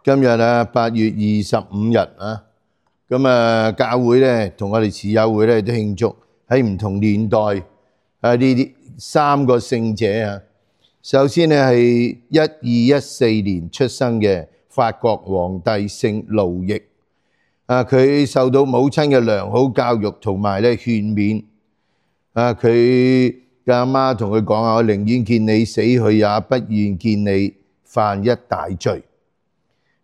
今日8月25日咁教會咧同我哋慈幼會咧都慶祝喺唔同年代呢啲3個聖者。首先咧係1214年出生嘅法國皇帝聖路易。佢受到母親嘅良好教育同埋咧勸勉。佢嘅阿媽同佢講我寧願見你死去，也不願見你犯一大罪。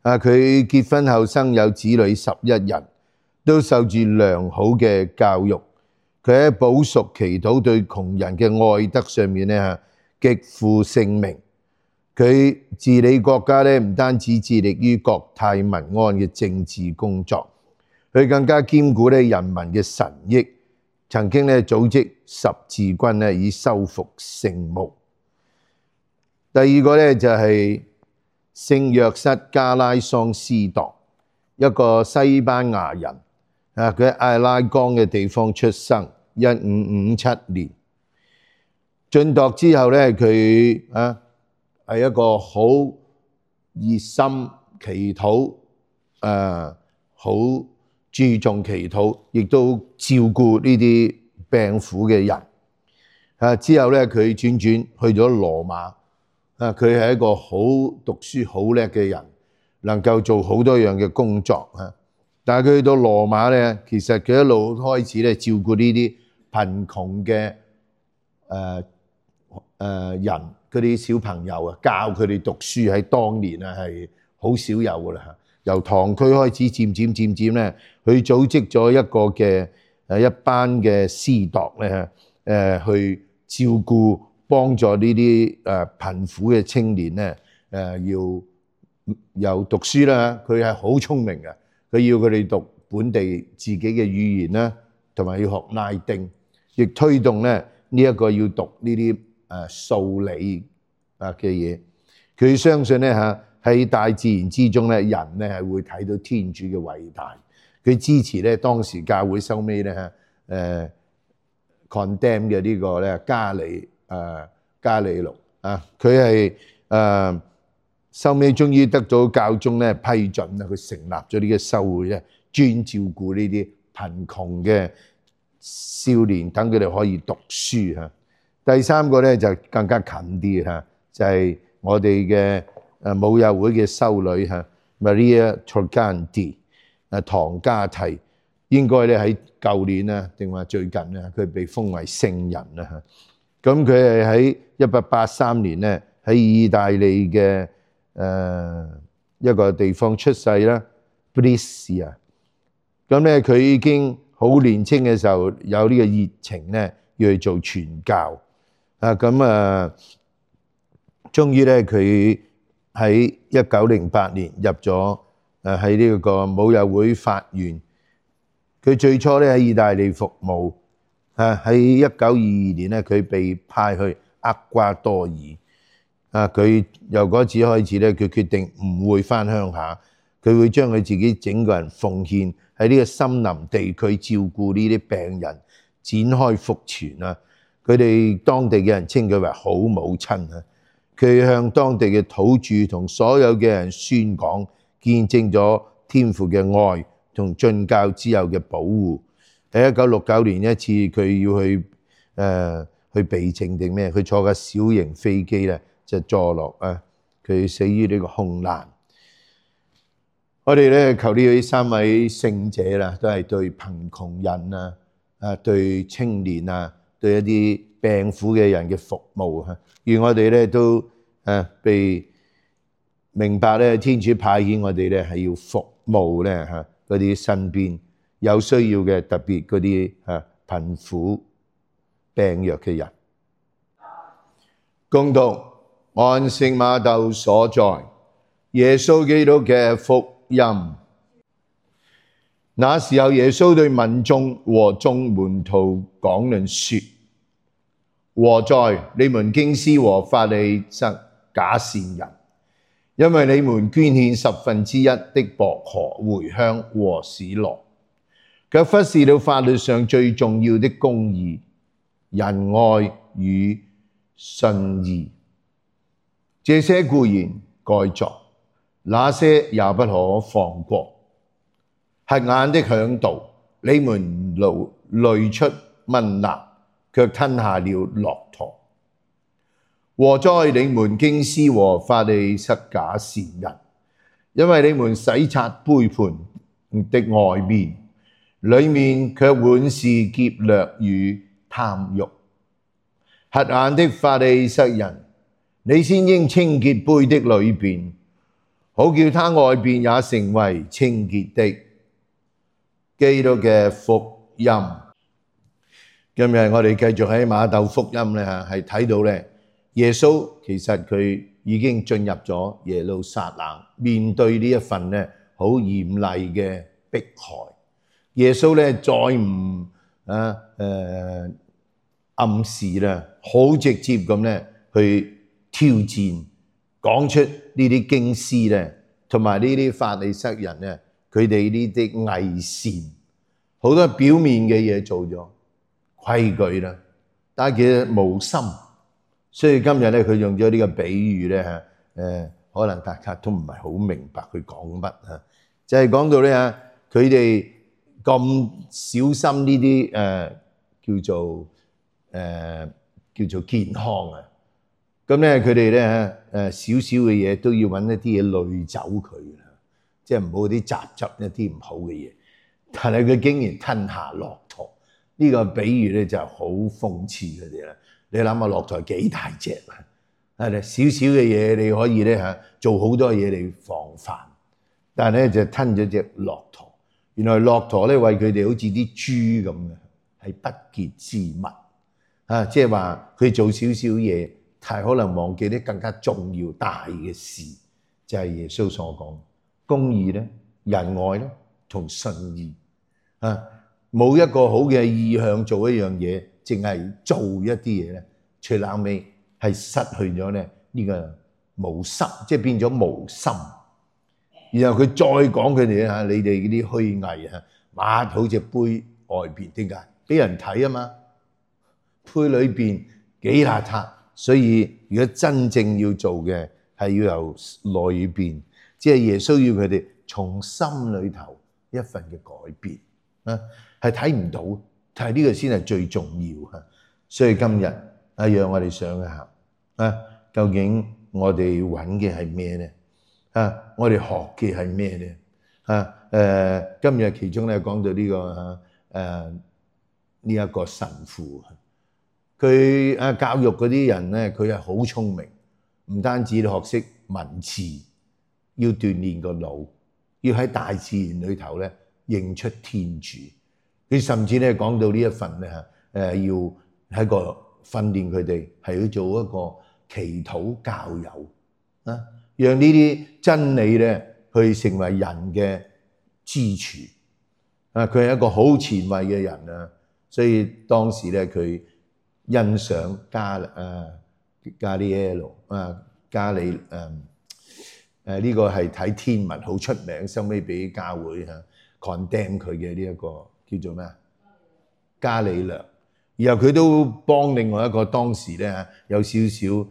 佢結婚後生有子女11人，都受住良好嘅教育。佢喺補贖祈禱對窮人嘅愛德上面咧極負盛名。佢治理國家咧唔單止致力於國泰民安嘅政治工作，佢更加兼顧咧人民嘅神益。曾經咧組織十字軍咧以收復聖墓。第二個咧就係聖若瑟加拉桑斯鐸，一個西班牙人。佢喺艾拉岡嘅地方出生，1557年。晉鐸之後咧，佢係一個好熱心祈禱，好注重祈禱，亦都照顧呢啲病苦嘅人。之後咧，佢轉去咗羅馬。佢係一個好讀書好叻嘅人，能夠做好多樣嘅工作。但係佢去到羅馬咧，其實佢一路開始咧照顧呢啲貧窮嘅人，嗰啲小朋友教佢哋讀書，喺當年係好少有噶啦。由堂區開始，漸漸咧，佢組織咗一個嘅一班嘅司鐸咧，去照顧幫助呢啲貧苦嘅青年咧，要有讀書啦。佢係好聰明嘅，佢要佢哋讀本地自己嘅語言啦，同埋要學拉丁，亦推動咧呢一個要讀呢啲數理嘅嘢。佢相信咧喺大自然之中咧，人咧係會睇到天主嘅偉大。佢支持咧當時教會收尾咧condemn 嘅呢個咧加里路。佢係收尾終於得到教宗咧批准啦，佢成立咗呢個修會咧，專照顧呢啲貧窮嘅少年，等佢哋可以讀書。第三個咧就更加近啲，就係我哋嘅母幼會嘅修女Maria Torganti，唐加提，應該咧喺舊年咧定話最近咧，佢被封為聖人啦。咁佢係喺1883年咧喺意大利嘅一個地方出世啦 Brescia。咁咧佢已經好年青嘅時候有呢個熱情咧，要去做傳教。終於咧佢喺1908年入咗喺呢個母幼會法院。佢最初咧喺意大利服務。喺1922年咧，佢被派去厄瓜多爾。佢由嗰次開始咧，佢決定唔會返鄉下，佢會將佢自己整個人奉獻喺呢個森林地區照顧呢啲病人，展開福傳。佢哋當地嘅人稱佢為好母親。佢向當地嘅土著同所有嘅人宣講，見證咗天父嘅愛同進教之友嘅保護。喺1969年一次，佢要去避靜定咩？佢坐架小型飛機咧，就墜落佢死於呢個空難。我哋咧求呢3位聖者啦，都係對貧窮人對青年對一啲病苦嘅人嘅服務。願我哋咧都被明白咧，天主派遣我哋咧係要服務咧嗰啲身邊有需要嘅，特別嗰啲貧苦病弱嘅人。恭讀按聖瑪竇所載耶穌基督嘅福音。那時候耶穌對民眾和眾門徒講論說：禍哉！你們經師和法利塞假善人，因為你們捐獻1/10的薄荷、茴香和史羅，卻忽視了法律上最重要的公義、仁愛與信義。這些固然該做，那些也不可放過。瞎眼的嚮導，你們濾出嗎哪，卻吞下了駱駝。禍哉你們經師和法利塞假善人，因為你們洗刷杯盤的外面，裏面卻滿是劫掠與貪慾。瞎眼的法利塞人，你先應清潔杯的裏邊，好叫他外邊也成為清潔的。基督嘅福音。今日我哋繼續喺馬竇福音咧嚇，係睇到咧耶穌其實佢已經進入咗耶路撒冷，面對呢一份咧好嚴厲嘅迫害。耶穌咧再唔暗示啦，好直接咁咧去挑戰，講出呢啲經師咧，同埋呢啲法利塞人咧，佢哋呢啲偽善，好多表面嘅嘢做咗規矩啦，但係其實無心。所以今日咧，佢用咗呢個比喻咧嚇，可能大家都唔係好明白佢講乜嚇，就係講到咧嚇，佢哋咁小心呢啲叫做健康啊，咁咧佢哋咧少少嘅嘢都要揾一啲嘢濾走佢啦，即係唔好啲雜質一啲唔好嘅嘢。但係佢竟然吞下駱駝，呢個比喻咧就好諷刺佢哋啦。你諗下駱駝幾大隻啊？係咪少少嘅嘢你可以咧嚇做好多嘢嚟防範，但係咧就吞咗隻駱駝。原來駱駝咧為佢哋好似啲豬咁嘅，係不潔之物啊！即係話佢做少少嘢，但係可能忘記啲更加重要大嘅事，就係耶穌所講公義咧、仁愛咧同信義啊！冇一個好嘅意向做一樣嘢，淨係做一啲嘢咧，最後尾係失去咗咧呢個無心，即係變咗無心。然後佢再講佢哋嚇，你哋嗰啲虛偽嚇，抹好隻杯外邊，點解？俾人睇啊嘛，杯裏邊幾邋遢。所以如果真正要做嘅係要由裏邊，即係耶穌要佢哋從心裏頭一份嘅改變啊，係睇唔到，但係呢個先係最重要嚇。所以今日啊，讓我哋想一下啊，究竟我哋揾嘅係咩咧？啊，我哋學嘅係咩咧？啊，今日其中咧講到呢個呢一個神父，佢教育嗰啲人咧，佢係好聰明，唔單止學識文字，要鍛鍊個腦，要喺大自然裏頭咧認出天主。佢甚至咧講到呢一份咧要喺個訓練佢哋係要做一個祈禱教友啊，讓呢啲真理咧去成為人嘅支柱啊！佢係一個好前衛嘅人啊，所以當時咧佢欣賞加利呢個係睇天文好出名，收尾俾教會condemn 佢嘅呢一個叫做咩啊？加里略。然後佢都幫另外一個當時咧有少少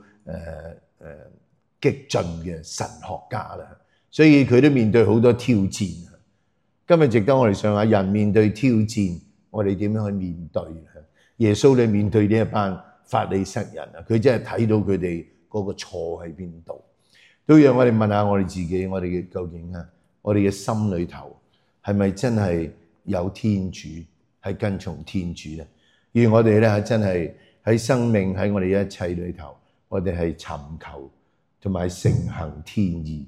激進嘅神學家啦，所以佢都面對好多挑戰。今日值得我哋想下，人面對挑戰，我哋點樣去面對？耶穌你面對呢一班法利塞人啊，佢真係睇到佢哋嗰個錯喺邊度，都讓我哋問下我哋自己，我哋嘅究竟我哋嘅心裏頭係咪真係有天主，係跟從天主咧？而我哋咧真係喺生命喺我哋一切裏頭，我哋係尋求同埋承行天意。